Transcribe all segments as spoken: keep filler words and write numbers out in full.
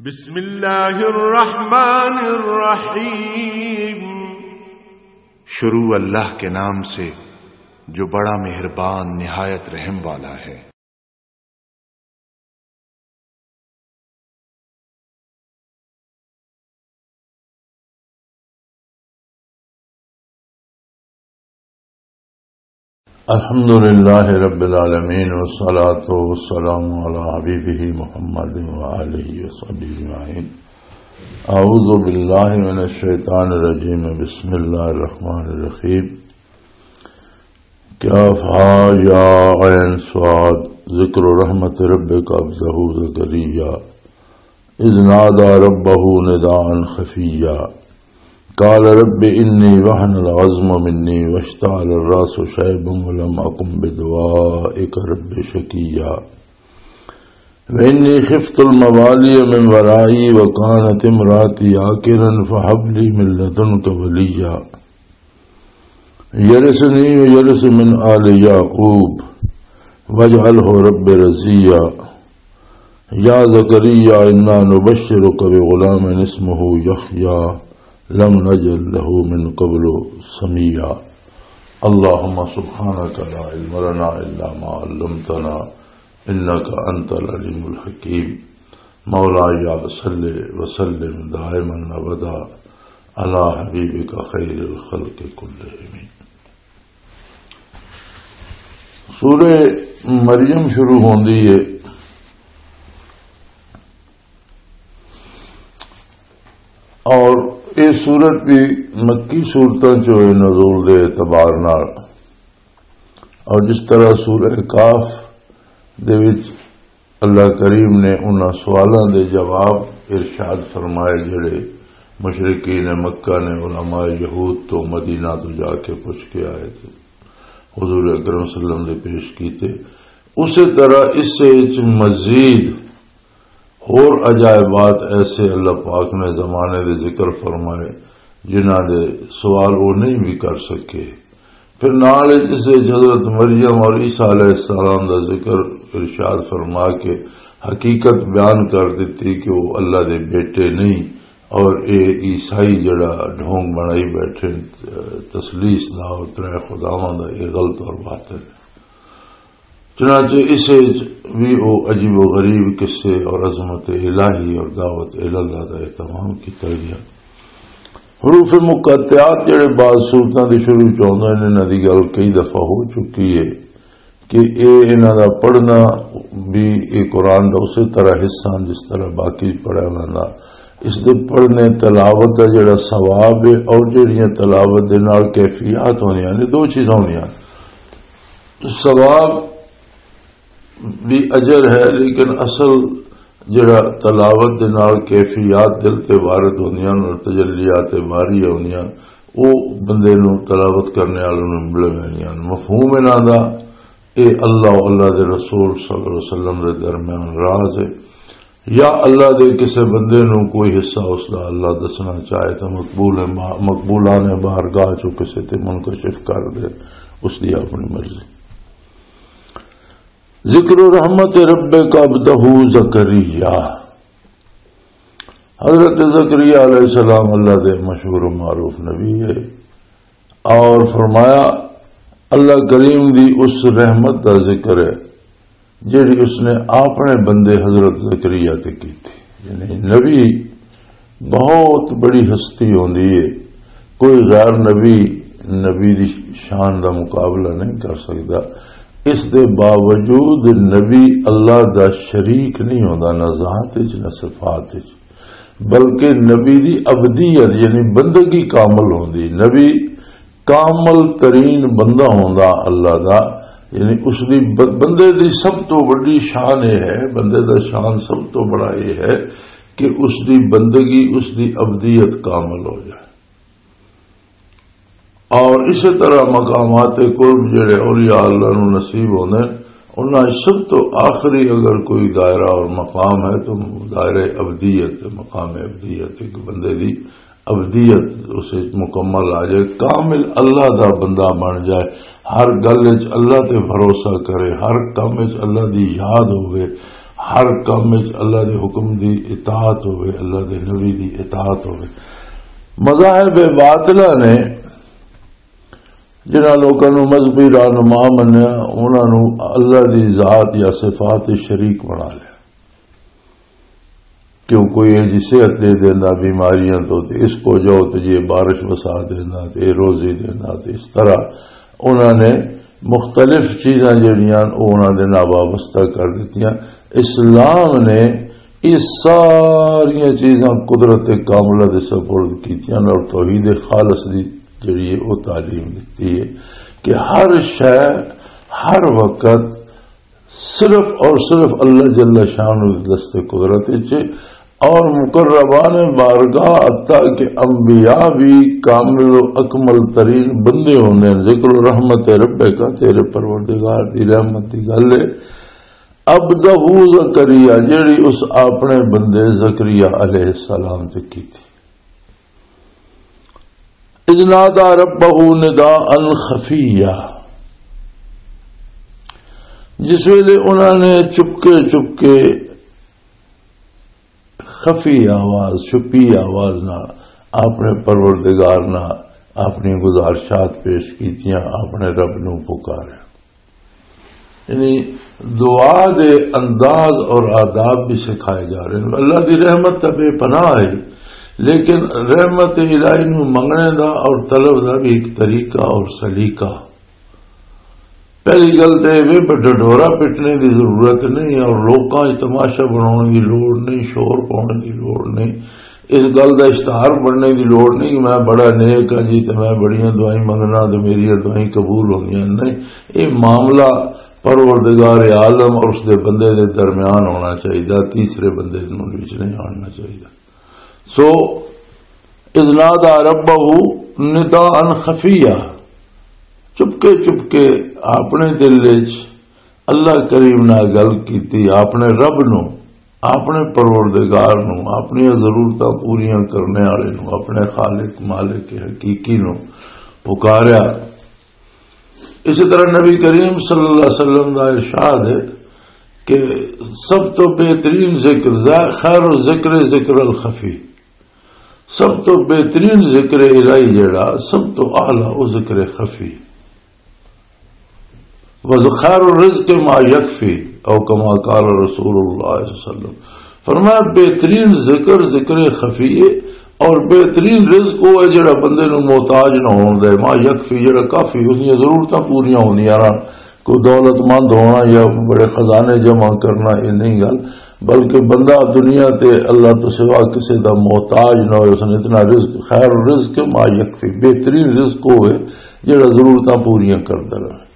بسم اللہ الرحمن الرحیم۔ شروع اللہ کے نام سے جو بڑا مہربان نہایت رحم والا ہے۔ الحمد لله رب العالمين، والصلاة والسلام على حبيبه محمد وآله وصحبه أجمعين. أعوذ بالله من الشيطان الرجيم. بسم الله الرحمن الرحيم. كاف ها يا عين صاد. ذكر رحمة ربك عبده زكريا إذ نادى ربه نداء خفيا. قال رب إني وهن العظم مني واشتعل الرأس شيبا ولم أكن بدعائك رب شقيا. وإني خفت الموالي من ورائي وكانت امرأتي عاقرا فهب لي من لدنك وليا يرثني ويرث من آل يعقوب واجعله رب رضيا. يا زكريا إنا نبشرك بغلام اسمه يحيى لم نجعل له من قبل سميا. اللهم سبحانك لا علم لنا إلا ما علمتنا إنك أنت العليم الحكيم. مولاي صل وسلم دائما أبدا على حبيبك خير الخلق كلهم. سورہ مریم شروع ہوندی ہے اور یہ سورت بھی مکی سورتاں چوں ہے نزول دے اعتبار نال۔ اور جس طرح سورہ کاف دے وچ اللہ کریم نے انہاں سوالاں دے جواب ارشاد فرمائے، جڑے مشرکین مکہ نے علماء یہود تو مدینہ تو جا کے پوچھ کے آئے تھے، حضور اکرم صلی اللہ علیہ وسلم دے پیش کیتے، اسی طرح اس وچ مزید ہور عجائبات ایسے اللہ پاک نے زمانے دے ذکر فرمائے، جنہاں دے سوال وہ نہیں بھی کر سکے۔ پھر نال اس وچ حضرت مریم اور عیسیٰ علیہ السلام دا ذکر ارشاد فرما کے حقیقت بیان کر دتی کہ وہ اللہ دے بیٹے نہیں اور اے عیسائی جڑا ڈھونگ بنائی بیٹھے، تثلیث دا اور ترے خداواں دا، یہ غلط اور باطل ہے۔ چنانچہ اسے وچ بھی او عجیب و غریب قصے اور عظمت الہی اور دعوت الاللہ دا اہتمام کیتا گیا۔ حروف مقطعات جڑے بعض صورتاں دے شروع چ ہوندے نے، انہاں دی گل کئی دفعہ ہو چکی ہے کہ اے انہاں دا پڑھنا بھی اے قرآن دا اسی طرح حصہ ہن جس طرح باقی پڑھیا ویندا۔ اس دے پڑھنے تلاوت دا جڑا ثواب ہے اور جڑیاں تلاوت دے نال کیفیات ہوندیاں نے، دو چیزاں ہوندیاں۔ ثواب بھی اجر ہے، لیکن اصل جڑا تلاوت دے نال کیفیات دل تے وارد ہوندیاں اور تجلیات باری ہوندیاں، او بندے نوں، تلاوت کرنے والے نوں مل ویندیاں۔ مفہوم انہاں دا، اے اللہ و اللہ دے رسول صلی اللہ علیہ وسلم دے درمیان راز ہے۔ یا اللہ دے کسے بندے نوں کوئی حصہ اس دا اللہ دسنا چاہے تو مقبول ہے، ما-، مقبولان بارگاہ چوں کسے تے منکشف کر دے، اس دی اپنی مرضی۔ ذکر رحمت ربک عبدہ زکریا۔ حضرت زکریا علیہ السلام اللہ دے مشہور و معروف نبی ہے اور فرمایا، اللہ کریم دی اس رحمت دا ذکر ہے جڑی اس نے اپنے بندے حضرت زکریا تے کی تھی۔ یعنی نبی بہت بڑی ہستی ہوندی ہے، کوئی غیر نبی نبی دی شان دا مقابلہ نہیں کر سکدا۔ اس دے باوجود نبی اللہ دا شریک نہیں ہوندا، نہ ذات وچ نہ صفات وچ، بلکہ نبی دی عبدیت یعنی بندگی کامل ہوندی۔ نبی کامل ترین بندہ ہوندا اللہ دا، یعنی اس دی ب-، بندے دی سب تو وڈی شان یہ ہے، بندے دا شان سب تو بڑا یہ ہے کہ اس دی بندگی، اس دی عبدیت کامل ہو جائے۔ اور اسی طرح مقامات قرب جڑے اولیاء اللہ نو نصیب ہوندے، انہاں وچ سب تو آخری اگر کوئی دائرہ اور مقام ہے تو دائرہ عبدیت، مقام عبدیت، ایک بندے دی عبدیت اس وچ مکمل آ جائے، کامل اللہ دا بندہ بن جائے، ہر گل وچ اللہ تے بھروسہ کرے، ہر کم وچ اللہ دی یاد ہوئے، ہر کام وچ اللہ دے حکم دی اطاعت ہوئے، اللہ دے نبی دی اطاعت ہوئے۔ مذاہب باطلہ نے جنہاں لوکاں نوں مذہبی رہنما منیا، انہاں نوں اللہ دی ذات یا صفات دے شریک بنا لیا۔ کیوں کوئی اے جی صحت دے دیندا بیماریاں تو، تے اس کو جو تے جی بارش وسا دیندا، تے روزی دیندا، تے اس طرح انہاں نے مختلف چیزاں جڑیاں او انہاں دے نال وابستہ کر دتیاں۔ اسلام نے یہ ساریاں چیزاں قدرت کاملہ دے سپرد کیتیاں اور توحید خالص دی جڑی ہے او تعلیم دتی ہے کہ ہر شے، ہر وقت صرف اور صرف اللہ جل شانہ دے دست قدرت وچ ہے۔ اور مقربان بارگاہ، حتیٰ کہ انبیاء بھی کامل و اکمل ترین بندے ہوندے ہیں۔ ذکر رحمت رب کا، تیرے پروردگار دی رحمت دی گل ہے۔ عبدہ زکریا، جیڑی اس اپنے بندے زکریا علیہ السلام تے کیتی۔ اذ نادى ربه نداء خفيا، جس ویلے انہاں نے چپکے چپکے، خفی آواز، چھپی آواز نال اپنے پروردگار نال اپنی گزارشات پیش کیتیاں، اپنے رب نوں پکاریا۔ یعنی دعا دے انداز اور آداب بھی سکھائے جا رہے ہیں۔ اللہ دی رحمت تے بے پناہ ہے، لیکن رحمت الہی نوں منگنے دا اور طلب دا بھی ایک طریقہ اور سلیقہ۔ پہلی گل تے یہ بھی ڈڈورا پٹنے دی ضرورت نہیں اور لوکاں وچ تماشا بناؤن دی لوڑ نہیں، شور پاؤن دی لوڑ نہیں۔ اس گل دا اشتہار بننے دی لوڑ نہیں کہ میں بڑا نیک ہاں جی تے میں بڑیاں دعائیں منگنا تے میری دعائیں قبول ہوندیاں۔ نہیں، یہ معاملہ پروردگار عالم اور اس دے بندے دے درمیان ہونا چاہیے، تیسرے بندے دے وچ نہیں آنا چاہیے۔ سو اذ نادى ربه نداء خفيا، چپکے چپکے اپنے دل وچ اللہ کریم نال گل کیتی، اپنے رب نو، اپنے پروردگار نو، اپنی ضرورتاں پوریاں کرنے والے نو، اپنے خالق مالک حقیقی نو پکاریا۔ اسی طرح نبی کریم صلی اللہ علیہ وسلم دا ارشاد ہے کہ سب تو بہترین ذکر، خیر الذکر ذکر الخفی، سب تو بہترین ذکر الہی جڑا، سب تو اعلیٰ او ذکر خفی۔ وَخَيْرُ الرِّزْقِ مَا يَكْفِي، او کما قال رسول اللہ صلی اللہ علیہ وسلم۔ فرمایا، بہترین ذکر ذکر خفی ہے، اور بہترین رزق وہ ہے جڑا بندے نو محتاج نہ ہون دے، ما یکفی، جڑا کافی اس دیاں ضرورتاں پوریاں ہوندیاں رہن۔ کوئی دولت مند ہونا یا بڑے خزانے جمع کرنا، یہ نہیں گل، بلکہ بندہ دنیا تے اللہ تو سوا کسی دا محتاج نہ ہوئے، اس نے اتنا رزق، خیر الرزق ما یکفی، بہترین رزق وہ ہے جڑا ضرورتاں پوریاں کردا رہے۔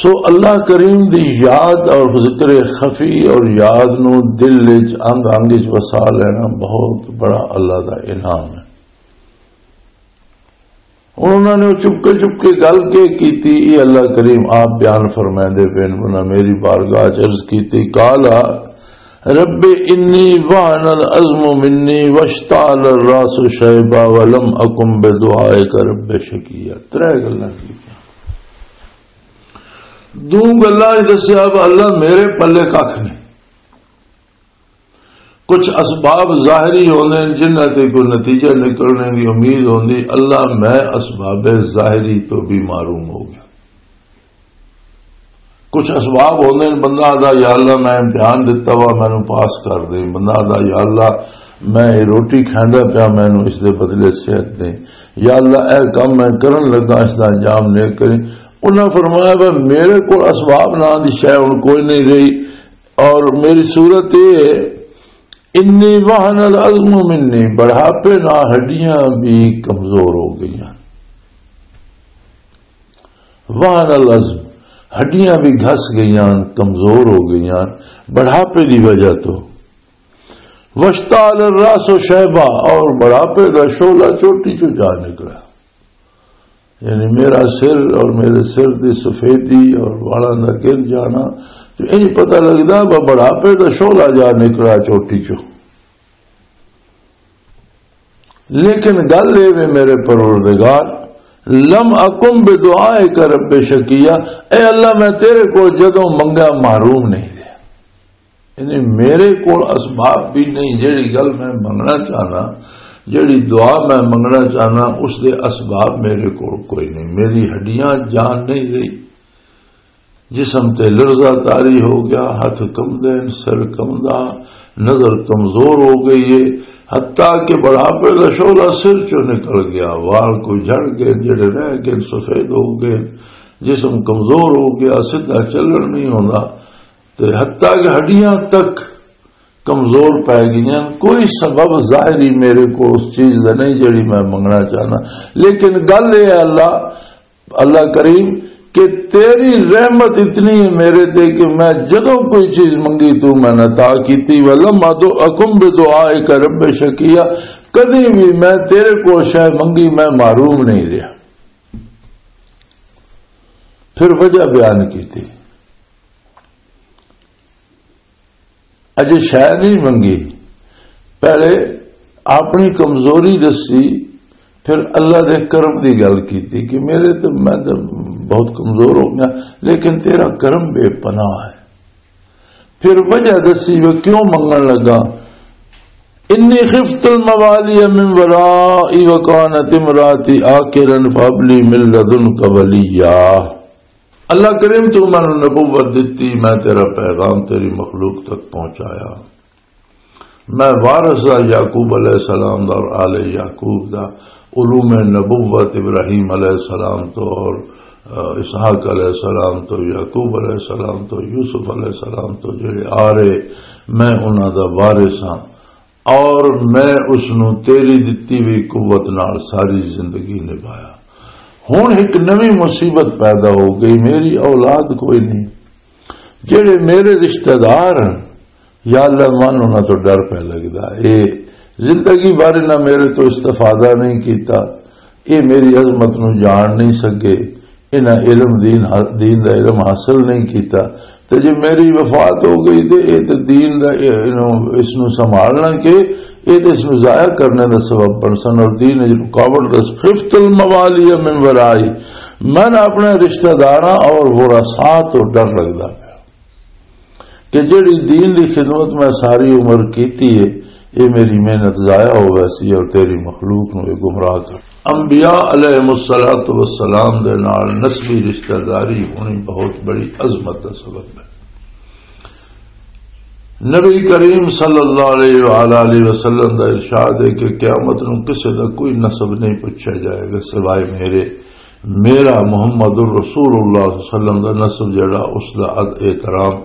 سو اللہ کریم دی یاد اور ذکر خفی اور یاد نو دل وچ، انگ انگ وچ وسا لینا بہت بڑا اللہ دا انعام ہے۔ ہن انہاں نے چپ کے، چپ کے گل کے کیتی، یہ اللہ کریم آپ بیان فرمائندے پئے نے، انہاں میری بارگاہ چ عرض کیتی، قال رب انی وهن العظم منی واشتعل الراس شیبا ولم اکن بدعائک رب شقیا۔ ترے گلاں کیتیاں۔ دو گلاں وچ دسیا، "اب اللہ میرے پلے ککھ نہیں۔" کچھ اسباب ظاہری ہوندے نے جنہاں تے کوئی نتیجہ نکلنے دی امید ہوندی، اللہ میں اسباب ظاہری تو بھی محروم ہو گیا۔ کچھ اسباب ہوندے نے، بندہ آہدا، "یا اللہ میں امتحان دتا وا، مینوں پاس کر دے۔" بندہ آہدا، "یا اللہ میں یہ روٹی کھاندا پیا، مینوں اس دے بدلے صحت دے۔" یا اللہ اے کم میں کرن لگا، اس دا انجام نیک کریں۔ انہاں فرمایا، "بھائی میرے کول اسباب نہ دی شے ہن کوئی نہیں رہی، اور میری صورت یہ ہے، انی وهن العظم منی، بڑھاپے نہ ہڈیاں بھی کمزور ہو گئیاں۔" وهن العظم، ہڈیاں بھی گھس گئیاں، کمزور ہو گئیاں بڑھاپے دی وجہ تو۔ واشتعل الراس شیبا، اور بڑھاپے دا شعلہ چوٹی چوں جا نکلا۔ یعنی میرا سر اور میرے سر دی سفیدی اور والاں دا گر جانا، تو انج پتہ لگدا وہ بڑھاپے دا شعلہ جا نکلا چوٹی چوں۔ لیکن گل اے وے میرے پروردگار، لم اکن بدعائک رب شقیا، اے اللہ میں تیرے کول جدوں منگا محروم نہیں رہیا۔ یعنی میرے کول اسباب بھی نہیں، جیڑی گل میں منگنا چاہنا، جیڑی دعا میں منگنا چاہنا، اس دے اسباب میرے کول کوئی نہیں۔ میری ہڈیاں جان نہیں رہی، جسم تے لرزہ طاری ہو گیا، ہاتھ کمدے نے، سر کمدا، نظر کمزور ہو گئی ہے، حتیٰ کہ بڑھاپے دا شعلہ سر چوں نکل گیا، وال کوئی جھڑ گئے، جڑے رہ گئے سفید ہو گئے، جسم کمزور ہو گیا، سیدھا چلن نہیں ہوندا، تے حتیٰ کہ ہڈیاں تک کمزور پے گئیاں۔ کوئی سبب ظاہری میرے کو اس چیز دا نہیں جڑی میں منگنا چاہنا، لیکن گل یہ ہے اللہ، اللہ کریم، کہ تیری رحمت اتنی ہے میرے تے کہ میں جدوں کوئی چیز منگی تو میں نے عطا کیتی۔ ولم ادعکم بدعائک رب شقیا، کدی بھی میں تیرے کو شے منگی میں محروم نہیں رہا۔ پھر وجہ بیان کیتی۔ اجے شے نہیں منگی، پہلے اپنی کمزوری دسی، پھر اللہ دے کرم دی گل کیتی کہ میرے تے، میں تے بہت کمزور ہو گیا، لیکن تیرا کرم بے پناہ ہے۔ پھر وجہ دسی وہ کیوں منگن لگا، انی خفت الموالی من ورائی وکانت امراتی آکرن فابلی من لدنک ولیا۔ اللہ کریم، تو مینوں نبوت دتی، میں تیرا پیغام تیری مخلوق تک پہنچایا۔ میں وارث دا یعقوب علیہ السلام دا اور آل یعقوب دا، علوم نبوت ابراہیم علیہ السلام تو اور، آ، اسحاق علیہ السلام تو، یعقوب علیہ السلام تو، یوسف علیہ السلام تو جڑے آ رہے، میں انہاں دا وارث ہاں۔ اور میں اس نوں تیری دتی ہوئی قوت نال ساری زندگی نبھایا۔ ہن ایک نویں مصیبت پیدا ہو گئی، میری اولاد کوئی نہیں۔ جڑے میرے رشتہ دار ہیں، یا اللہ، من انہاں تو ڈر پہ لگدا۔ اے زندگی بھر انہاں میرے تو استفادہ نہیں کیتا، اے میری عظمت نو جان نہیں سکے، انہاں علم دین، دین دا علم حاصل نہیں کیتا۔ تے جے میری وفات ہو گئی تے اے تے دین دا، اے، انہوں، اس نو سنبھالنا کہ اے تے اس نو ضائع کرنے دا سبب بن سن اور دین وچ رکاوٹ دس۔ خفت الموالی من ورائی، میں اپنے رشتہ داراں اور ورثاء تو ڈر لگدا پیا کہ جڑی دین دی خدمت میں ساری عمر کیتی ہے، اے میری محنت ضائع ہو ویسی اور تیری مخلوق نو اے گمراہ کر۔ انبیاء علیہ الصلوۃ والسلام دے نال نسبی رشتہ داری ہونی بہت بڑی عظمت دا سبب ہے۔ نبی کریم صلی اللہ علیہ وآلہ وسلم دا ارشاد ہے کہ قیامت نو کسے دا کوئی نسب نہیں پوچھا جائے گا سوائے میرے، میرا محمد الرسول اللہ صلی اللہ علیہ وسلم دا نسب جڑا، اس دا اد-، احترام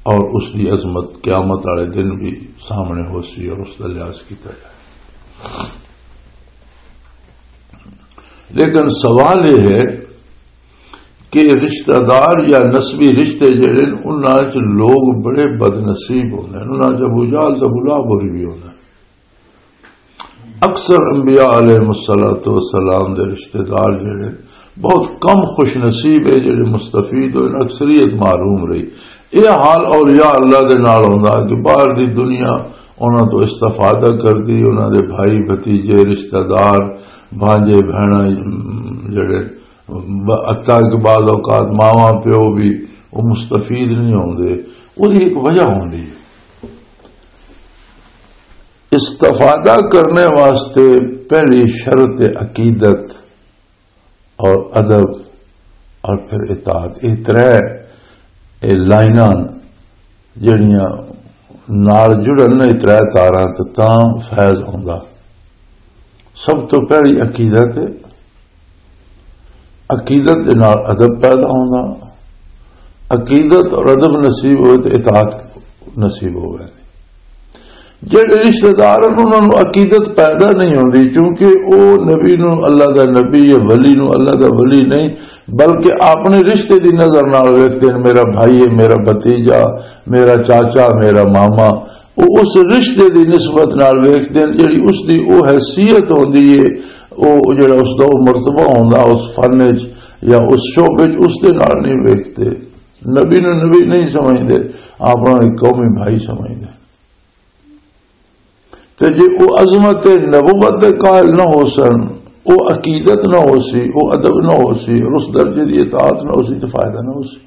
اور اس دی عظمت قیامت والے دن بھی سامنے ہو سی اور اس دا لحاظ کیتا جائے۔ لیکن سوال یہ ہے کہ رشتہ دار یا نسبی رشتے جڑے نے، انہاں چ لوگ بڑے بد نصیب ہوندے نے، انہاں چ ابو جہل تے ابو لہب ہوری بھی ہوندے نے۔ اکثر انبیاء علیہ الصلوۃ والسلام دے رشتہ دار جڑے بہت کم خوش نصیب ہے جڑے مستفید ہوئے، اکثریت محروم رہی۔ یہ حال اولیاء اللہ دے نال ہوندا کہ باہر دی دنیا انہاں تو استفادہ کردی، انہاں دے بھائی، بھتیجے، رشتہ دار، بھانجے، بہناں، جڑے ب-، حتیٰ کہ بعض اوقات ماواں پیو بھی وہ مستفید نہیں ہوندے۔ وہی ایک وجہ ہوندی ہے۔ استفادہ کرنے واسطے پہلی شرط عقیدت اور ادب اور پھر اطاعت۔ یہ ترے، یہ لائناں جڑیاں نال جڑن، یہ ترے تاراں تے تاں فیض ہوندا۔ سب تو پہلی عقیدت ہے، عقیدت دے نال ادب پیدا ہوندا، عقیدت اور ادب نصیب ہوئے تے اطاعت نصیب ہوئے۔ جڑے رشتہ دار ہن، انہاں نوں عقیدت پیدا نہیں ہوندی، کیونکہ او نبی نوں اللہ دا نبی یا ولی نوں اللہ دا ولی نہیں، بلکہ اپنے رشتے دی نظر نال ویکھدے نے، میرا بھائی ہے، میرا بھتیجا، میرا چاچا، میرا ماما۔ وہ اس رشتے دی نسبت نال ویکھدے نے، جڑی اس دی او حیثیت ہوندی ہے، او جڑا اس دا او مرتبہ ہوندا اس فن وچ یا اس شعبے وچ، اس دے نال نہیں ویکھدے۔ نبی نوں نبی نہیں سمجھدے، اپنا ایک قومی بھائی سمجھدے۔ تے جے او عظمت نبوت دے قائل نہ ہو سن، او عقیدت نہ ہو سی، او ادب نہ ہو سی، اور اس درجے دی اطاعت نہ ہو سی، تو فائدہ نہ ہو سی۔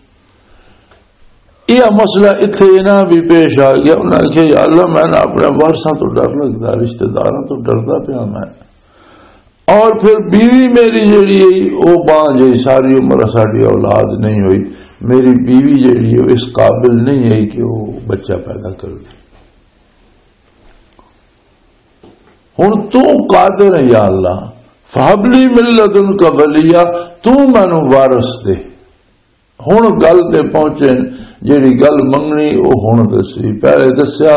یہ مسئلہ اتھے انہاں بھی پیش آ گیا۔ انہاں نے کہا، "یا اللہ، میں نا اپنے وارثاں تو ڈر لگدا، رشتہ داراں تو ڈردا پیا میں۔" اور پھر بیوی میری جیڑی ہے، وہ بانجھ ہے، ساری عمر ساڈی اولاد نہیں ہوئی۔ میری بیوی جیڑی ہے، اس قابل نہیں ہے کہ وہ بچہ پیدا کر دے۔ ہن تو قادر ہے یا اللہ، فہب لی من لدنک ولیا، تو مینوں وارث دے۔ ہن گل تے پہنچے، جیڑی گل منگنی، او ہن دسی۔ پہلے دسیا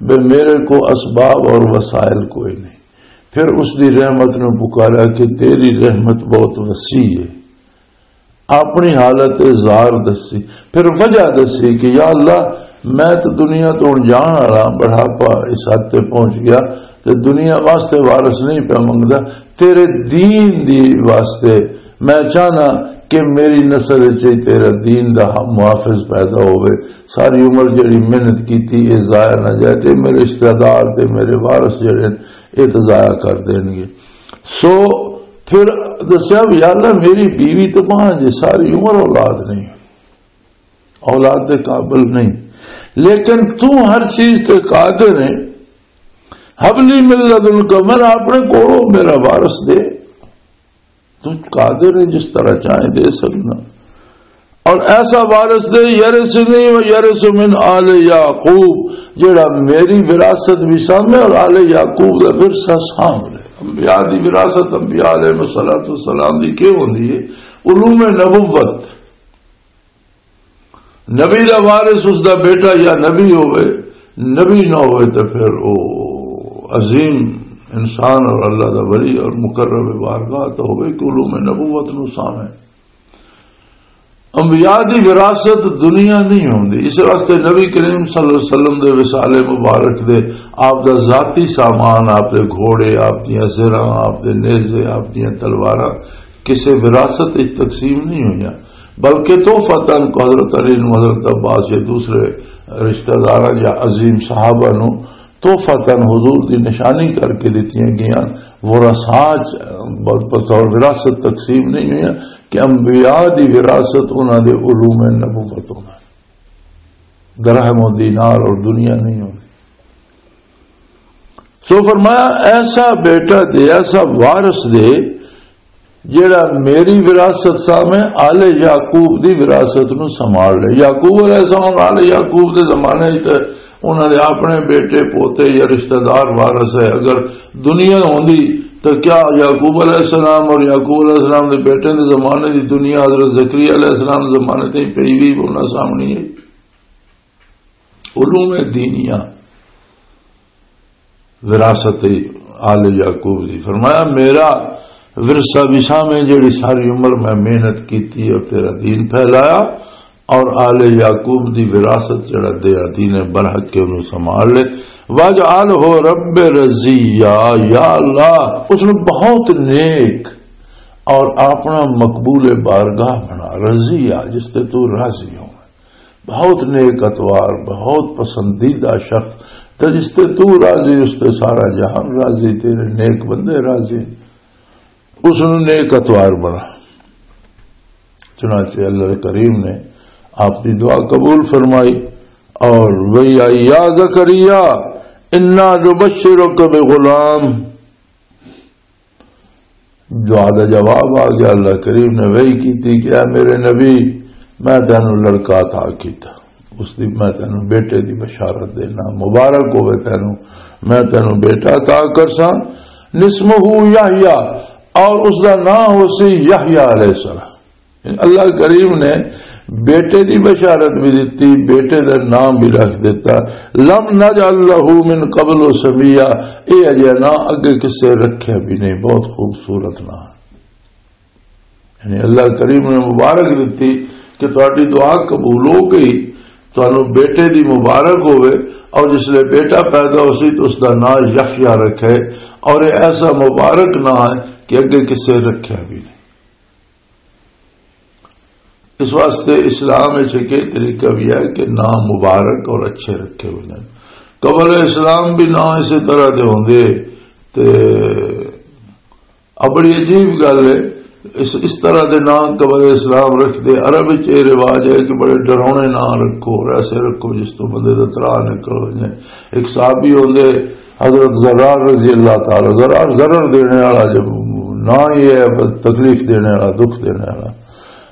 بے میرے کو اسباب اور وسائل کوئی نہیں، پھر اس دی رحمت نو پکارا کہ تیری رحمت بہت وسیع ہے۔ اپنی حالت اظہار دسی، پھر وجہ دسی کہ یا اللہ، میں تو دنیا تو ہن جان والا، بڑھاپا اس حد تے پہنچ گیا، تے دنیا واسطے وارث نہیں پیا منگدا، تیرے دین دی واسطے میں چاہنا کہ میری نسل وچ ہی تیرا دین دا محافظ پیدا ہوئے، ساری عمر جڑی محنت کیتی، یہ ضائع نہ جائے، تے میرے رشتہ دار تے میرے وارث جڑے ہیں، یہ تو ضائع کر دین گے۔ سو پھر دسیا بھی، "یا اللہ، میری بیوی تو بانجھ ہے، ساری عمر اولاد نہیں، اولاد دے قابل نہیں، لیکن تو ہر چیز تے قادر ہے، حب لی من لدنک، میرا اپنے کولوں میرا وارث دے۔" تو قادر ہے، جس طرح چاہے دے سکنا۔ اور ایسا وارث دے، یرثنی و یرث من آل یعقوب، جڑا میری وراثت بھی سامنے اور آل یعقوب دا ورثہ سامنے۔ انبیاء دی وراثت انبیاء علیہ الصلوۃ والسلام دی کی ہوندی ہے؟ علوم نبوت۔ نبی دا وارث اس دا بیٹا یا نبی ہوئے، نبی نہ ہوئے تے پھر او عظیم انسان اور اللہ دا ولی اور مقرب بارگاہ تو ہوئے کہ علوم نبوت نو سامے۔ انبیاء دی وراثت دنیا نہیں ہوندی، اس واسطے نبی کریم صلی اللہ علیہ وسلم دے وصال مبارک دے، آپ دا ذاتی سامان، آپ دے گھوڑے، آپ دیاں زرعاں، آپ دے نیزے، آپ دیاں تلواراں کسے وراثت وچ تقسیم نہیں ہوئیاں، بلکہ تحفہ تن کو حضرت علی نو، حضرت عباس یا دوسرے رشتہ داراں یا عظیم صحابہ نو تحفہ تن حضور دی نشانی کر کے دتیاں گئیاں۔ ورثات بطور وراثت تقسیم نہیں ہوئیاں کہ انبیاء دی وراثت انہاں دے علوم نبوت ہونا، درہم و دینار اور دنیا نہیں ہوندی۔ سو فرمایا، ایسا بیٹا دے، ایسا وارث دے، جڑا میری وراثت سامنے آل یعقوب دی وراثت نو سنبھال لے۔ یعقوب علیہ السلام، آل یعقوب دے زمانے وچ تے انہاں دے اپنے بیٹے، پوتے یا رشتہ دار وارث ہے۔ اگر دنیا ہوندی تو کیا یعقوب علیہ السلام اور یعقوب علیہ السلام دے بیٹے دے زمانے دی دنیا حضرت زکریا علیہ السلام دے زمانے تے پئی وی انہاں سامنے ہے؟ علوم دینیا، وراثت آل یعقوب دی۔ فرمایا، میرا ورثہ بھی سامنے، جڑی ساری عمر میں محنت کیتی اور تیرا دین پھیلایا، اور آل یعقوب دی وراثت جڑا تیرا دین ہے برحق کے انہوں سنبھال لے۔ واجعلہ رب رضیا، یا اللہ، اس نے بہت نیک اور اپنا مقبول بارگاہ بنا، رضیا، جس تے تو راضی ہو، بہت نیک اتوار، بہت پسندیدہ شخص، تے جس تے تو راضی، اس تے سارا جہان راضی، تیرے نیک بندے راضی، اس نوں نیک اتوار بنا۔ چنانچہ اللہ کریم نے آپ کی دعا قبول فرمائی اور وہی آئی، یا زکریا، انا نبشرک بغلام، دعا دا جواب آ گیا۔ اللہ کریم نے وحی کیتی کہ اے میرے نبی، میں تینوں لڑکا عطا کیتا، اس دی میں تینوں بیٹے دی بشارت دینا، مبارک ہوے تینوں، میں تینوں بیٹا عطا کرساں، نسمہ یحییٰ، اور اس دا نام ہو سی یحییٰ علیہ السلام۔ اللہ کریم نے بیٹے دی بشارت بھی دتی، بیٹے دا نام بھی رکھ دیتا۔ لم نجعل لہ من قبل سمیہ، اے اجے نہ اگے کسے رکھیا بھی نہیں۔ بہت خوبصورت نام۔ یعنی اللہ کریم نے مبارک دتی کہ تہاڈی دعا قبول ہو گئی، تانوں بیٹے دی مبارک ہوے، اور جس لے بیٹا پیدا ہو سی تو اس دا نام یحییٰ رکھے، اور یہ ایسا مبارک نام ہے کہ اگے کسے رکھیا بھی نہیں۔ اس واسطے اسلام وچ ایک طریقہ بھی ہے کہ نام مبارک اور اچھے رکھے ہوئے ہیں۔ قبل اسلام بھی نام اسی طرح دے ہوندے۔ تے آ بڑی عجیب گل ہے اس اس طرح دے نام قبر اسلام رکھدے۔ عرب وچ یہ رواج ہے کہ بڑے ڈراؤنے نام رکھو اور ایسے رکھو جس تو بندے دا ترا نکل جائے۔ ایک صحابی ہوندے، حضرت زرار رضی اللہ تعالی، زرار ضرر دینے والا، جب نہ ہی ہے، بس تکلیف دینے والا، دکھ دینے والا۔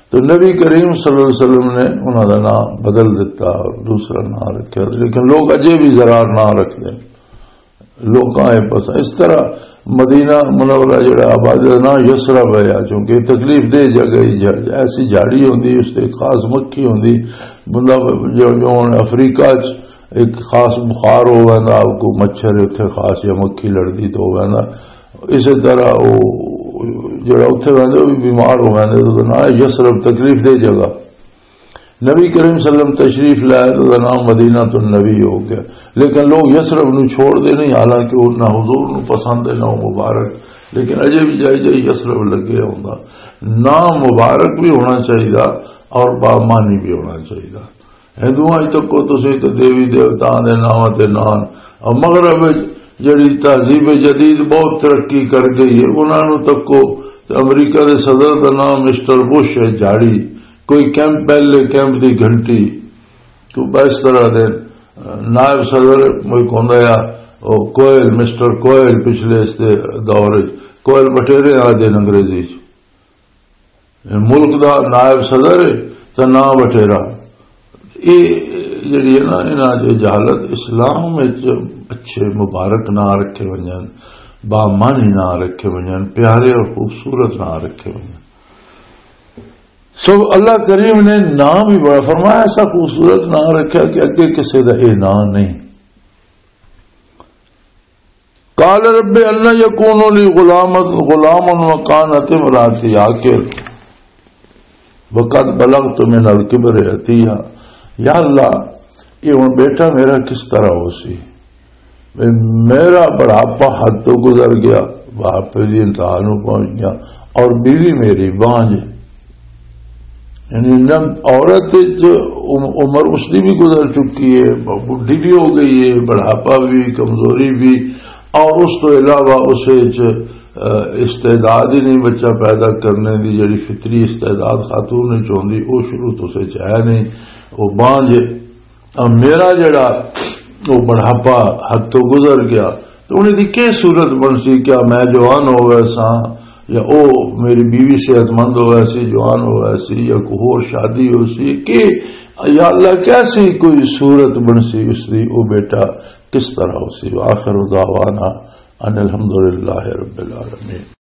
تو نبی کریم صلی اللہ علیہ وسلم نے انہاں دا نام بدل دیتا اور دوسرا نام رکھا، لیکن لوگ اجے بھی زرار نام رکھتے ہیں۔ لوکاں اے پسند۔ اس طرح مدینہ منورہ جڑا آبادی دا نام یثرب ہے، چونکہ تکلیف دہ جگہ ہی جھڑ-، ایسی جھاڑی ہوندی، اس تے خاص مکھی ہوندی۔ بندہ جو، جو ہن افریقہ چ ایک خاص بخار ہو ویندا، کوئی مچھر اتھے خاص یا مکھی لڑدی تو ہو ویندا۔ اسی طرح وہ جڑا اتھے ویندے، وہ بھی بیمار ہو ویندے، تو نام ہے یثرب، تکلیف دہ جگہ۔ نبی کریم صلی اللہ علیہ وسلم تشریف لائے تو دا نام مدینہ تو نبی ہو گیا۔ لیکن لوگ یثرب نو چھوڑ دے نہیں، حالانکہ وہ نہ حضور نو پسند ہے، نہ وہ مبارک، لیکن اجے بھی جائی جائی یثرب لگے ہوندا۔ نام مبارک بھی ہونا چاہیے اور بامانی بھی ہونا چاہیے۔ ہندوؤں اج تک کو تسی تے دیوی دیوتاؤں دے ناواں تے نان، اور مغرب وچ جڑی تہذیب جدید بہت ترقی کر گئی ہے، انہاں نوں تکو تے امریکہ دے صدر دا نام مسٹر بش ہے، جھاڑی، کوئی کیمپ، پہلے کیمپ دی گھنٹی، تو اس طرح دے نائب صدر کوئی ہوندا ہے، او کوئل، مسٹر کوئل، پچھلے اس دے دور وچ کوئل بٹیرے آدھے انگریزی چ۔ ملک دا نائب صدر ہے تے نہ وٹیرا۔ یہ جڑی ہے نا، انہاں دی جہالت، اسلام وچ اچھے مبارک نہ رکھے ونجن، بامانی نہ رکھے ونجن، پیارے اور خوبصورت نہ رکھے ونجن۔ سو اللہ کریم نے نام ہی بڑا فرمایا، ایسا خوبصورت نام رکھا کہ اگے کسے دا یہ نام نہیں۔ قال رب ان يكون لي غلام، غلام وكانت امرأتي عاقرا وقد بلغت من الكبر عتيا۔ یا اللہ، یہ ہن بیٹا میرا کس طرح ہو سی؟ میرا بڑھاپا حد تو گزر گیا، بڑھاپے دی انتہا نو پہنچ گیا، اور بیوی میری بانجھ۔ یعنی نہ عورت وچ عم-، عمر اس دی بھی گزر چکی ہے، ب-، بڈھی بھی ہو گئی ہے، بڑھاپا بھی، کمزوری بھی، اور اس تو علاوہ اس وچ، آ، استعداد ہی نہیں بچہ پیدا کرنے دی، جڑی فطری استعداد خاتون وچ ہوندی، وہ شروع تو اس وچ ہے نہیں، وہ بانجھ ہے۔ اور میرا جڑا وہ بڑھاپا حد تو گزر گیا، تو انہیں دی کی صورت بن سی؟ کیا میں جوان ہو گیا سا، یا او میری بیوی صحت مند ہو گیا سی، جوان ہو گیا سی، یا کوئی ہور شادی ہو سی کہ، یا اللہ، کیسی کوئی صورت بن سی اس دی، او بیٹا کس طرح ہو سی؟ وآخر دعوانا ان الحمدللہ رب العالمین۔